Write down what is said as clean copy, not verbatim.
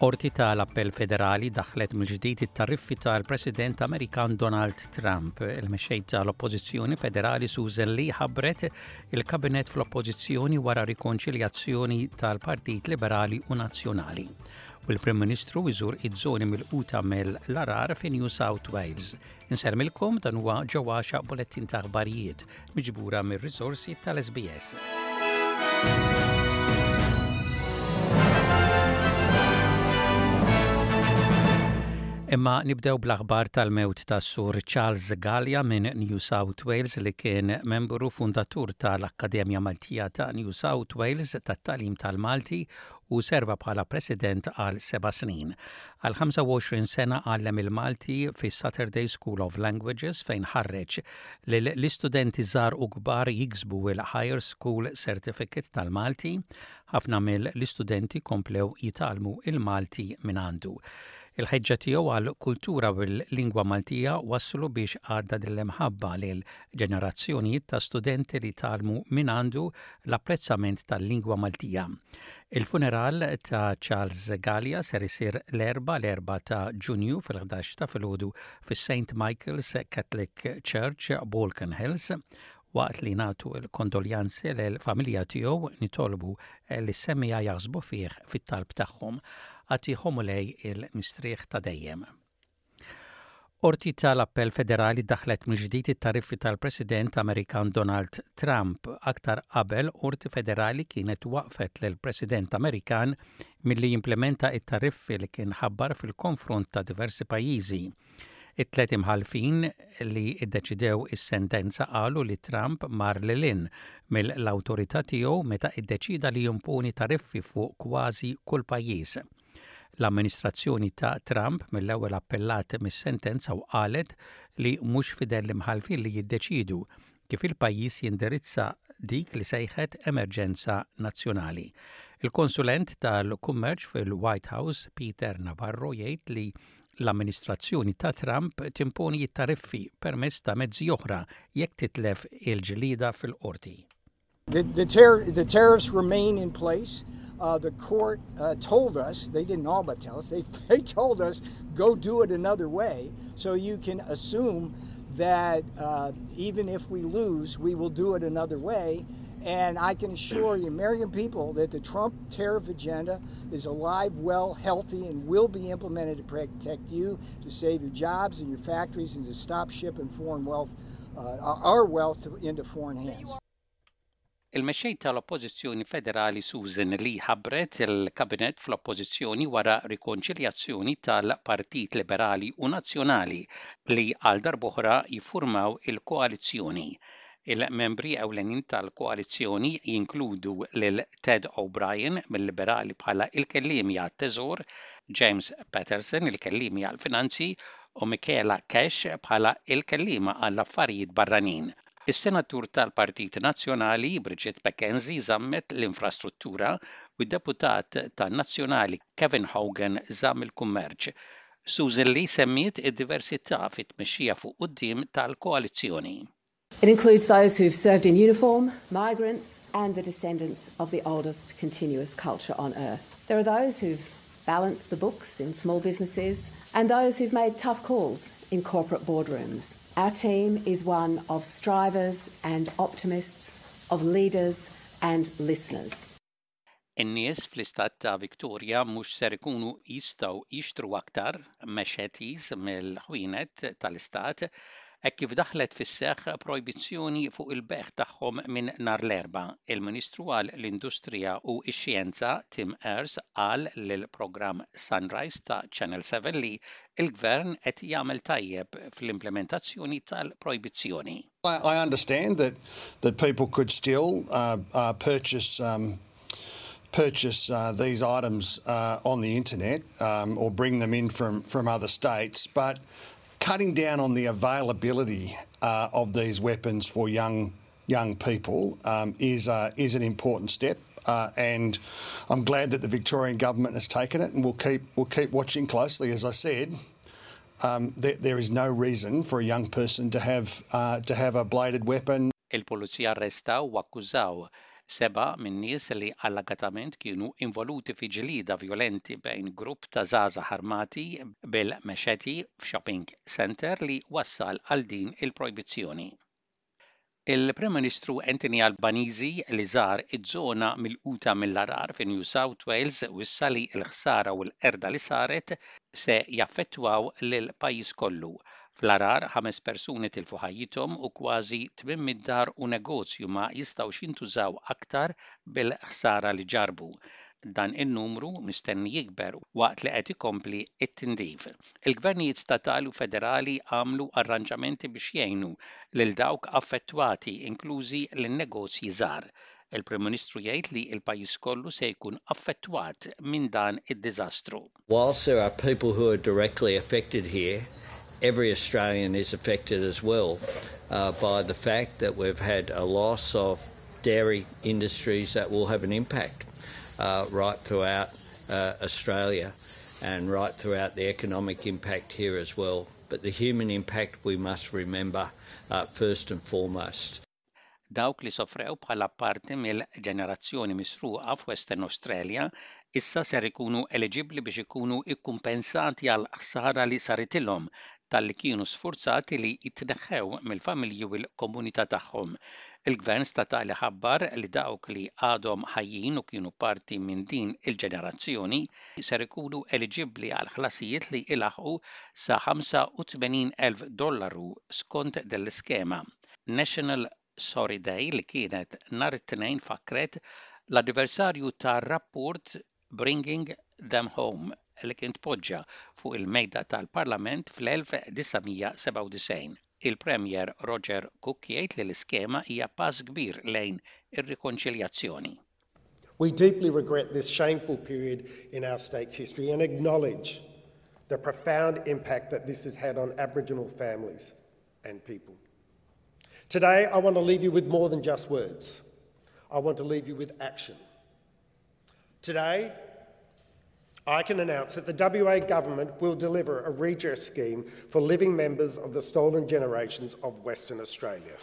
Qorti tal-Appell Federali daħħlet mill-ġdid it-tariffi tal-President Amerikan Donald Trump. Il-mexxej tal-Oppożizzjoni Federali Susan Lee ħabbret il-Kabinett fl-Oppożizzjoni wara rikonċiljazzjoni tal-Partit Liberali u Nazzjonali. U l-Prim Ministru iżur iż-żoni milquta mill-arar fi New South Wales. Insellmilkom dan huwa Ġo Għaxaq bulettin ta' aħbarijiet miġbura mir-riżorsi tal-SBS. Imma nibdew bl-aħbar tal-mewt ta' Sur Charles Gallia minn New South Wales li kien membru fundatur tal-Akkademja Maltija ta' New South Wales tat-Tagħlim tal-Malti u serva bħala President għal seba' snin. Għal 25 sena għallem il-Malti fis-Saturday School of Languages fejn ħarreġ lill-istudenti żgħar u kbar jiksbu l-Higher School Certificate tal-Malti. Ħafna mill-istudenti komplew jitgħallmu il-Malti mingħandu. Il-ħeġġa tiegħu għall-kultura u l-lingwa Maltija wasslu biex għadda din l-imħabba lil ġenerazzjonijiet ta' studenti li tgħallmu mingħandu l-apprezzament tal-lingwa Maltija. Il-funeral ta' Charles Galea ser isir l-Erbgħa l-4 ta' Ġunju fil-11 ta' filgħodu fis-St Michael's Catholic Church, Balkan Hills. Waqt li nagħtu l-kondoljanzi lill-familja tiegħu nitolbu lis-semmiegħa jaħsbu fih fit-talb tagħhom. Agħtihom Mulej il-mistrieħ ta' dejjem. Qorti tal-Appell Federali daħħlet mill-ġdid it-tariffi tal-President Amerikan Donald Trump. Aktar qabel, qorti federali kienet waqqfet lill-President Amerikan milli jimplementa t-tariffi li kien ħabbar fil-konfront ta' diversi pajjiżi. It-tliet imħallfin li ddeċidew is-sentenza qalu li Trump mar lil hinn mill-awtorità tiegħu meta ddeċieda li jimponi tariffi fuq kważi kull pajjiż. L-amministrazzjoni ta' Trump mill-ewwel appellat mis-sentenza u qalet li mhux f'idejn l-imħallfin li jiddeċiedu kif il-pajjiż jindirizza dik li sejħet emerġenza nazzjonali. Il-konsulent tal-kummerċ fil-White House, Peter Navarro, jgħid li l-amministrazzjoni ta' Trump timponi t-tariffi permezz ta' mezzi oħra jekk titlef il-ġlieda fil-qorti. The, the, tar- the tariffs remain in place. Uh, the court uh, told us, they didn't all but tell us, they, they told us, go do it another way. So you can assume that uh, even if we lose, we will do it another way. And I can assure the American people that the Trump tariff agenda is alive, well, healthy, and will be implemented to protect you, to save your jobs and your factories, and to stop shipping foreign wealth, uh, our wealth to, into foreign hands. Il-Mexxej tal-Oppożizzjoni Federali Susan Lee ħabbret il-Kabinett fl-Oppożizzjoni wara rikonċiljazzjoni tal-Partit Liberali u Nazzjonali li għal darb'oħra jiffurmaw il-koalizzjoni. Il-membri ewlenin tal-koalizzjoni jinkludu lil Ted O'Brien mill-Liberali bħala il-kelliemi għat-Teżor, James Paterson il-kelliemi għall-Finanzi u Michaela Cash bħala il-kelliema għall-Affarijiet Barranin. Is-Senatur tal-Partit Nazzjonali Bridget McKenzie żammet l-infrastruttura u d-deputat tan-Nazzjonali Kevin Hogan żamm il-kummerċ. Susan Lee semmiet id-diversità fit-tmexxija fuq quddiem tal-koalizzjoni. It includes those who've served in uniform, migrants, and the descendants of the oldest continuous culture on earth. There are those who've balanced the books in small businesses and those who've made tough calls in corporate boardrooms. Our team is one of strivers and optimists, of leaders and listeners. In-nies fl-istat ta' Victoria mhux ser ikunu jistgħu jixtru aktar machetes mill-ħwienet tal-istat hekk kif daħlet fis-seħħ projbizzjoni fuq il-bejgħ tagħhom minn nhar l-Erbgħa. Il-Ministru għal l-Industrija u x-Xjenza Tim Ayres qal lill-programm Sunrise ta' Channel 7 li l-Gvern qed jagħmel tajjeb fl-implementazzjoni tal-projbizzjoni. I understand that that people could still uh, uh, purchase um, purchase uh, these items uh, on the internet um, or bring them in from, from other states, but cutting down on the availability uh, of these weapons for young young people um, is uh, is an important step. Uh, and I'm glad that the Victorian government has taken it, and we'll keep we'll keep watching closely. As I said, um, there, there is no reason for a young person to have uh, to have a bladed weapon. Il-pulizija arrestaw u akkużaw Sebgħa min-nies li allegatament kienu involuti fi ġlieda vjolenti bejn grupp ta' żgħażagħ armati bil-machete f'shopping centre li wassal għal din il-projbizzjoni. Il-Prim Ministru Anthony Albanese li żar iż-żona milquta mill-għargħar fi New South Wales wissa li l-ħsara u l-qerda li saret se jaffettwaw lill-pajjiż kollu. Fl-għargħar, ħames persuni tilfu ħajjithom u kważi 800 dar u negozju ma jistgħux jintużaw aktar bil-ħsara li ġarrbu. Dan in-numru mistenni jikber waqt li qed ikompli t-tindif. Il-gvernijiet statali u federali għamlu arranġamenti biex jgħinu lil dawk affettwati, inklużi lin-negozji żgħar. Il-Prim Ministru jgħid li l-pajjiż kollu se jkun affettwat minn dan id-diżastru. Whilst there are people who are directly affected here, every Australian is affected as well uh, by the fact that we've had a loss of dairy industries that will have an impact uh, right throughout uh, Australia and right throughout the economic impact here as well. But the human impact we must remember uh, first and foremost. Dawk li sofrew bħala parti mill-ġenerazzjoni misruqa f'Western Australia issa ser ikunu eliġibbli biex ikunu kkumpensati għall-ħsara li saritilhom talli kienu sfurzati li jitneħħew mill-familji u l-komunità tagħhom. Il-Gvern statali ħabbar li dawk li għadhom ħajjin u kienu parti minn din il-ġenerazzjoni ser ikunu eliġibbli għal ħlasijiet li ilaħħqu sa 85,000 dollaru skont din l-iskema. National Sorry Day li kienet nhar it-Tnejn fakkret l-anniversarju tar-rapport Bringing Them Home li kien tpoġġa fuq il-mejda tal-Parlament fl-1997. Il-Premier Roger Cook jgħid li l-iskema hija pass kbir lejn ir-rikonċiljazzjoni. We deeply regret this shameful period in our state's history and acknowledge the profound impact that this has had on Aboriginal families and people. Today, I want to leave you with more than just words. I want to leave you with action. Today, I can announce that the WA Government will deliver a redress scheme for living members of the stolen generations of Western Australia.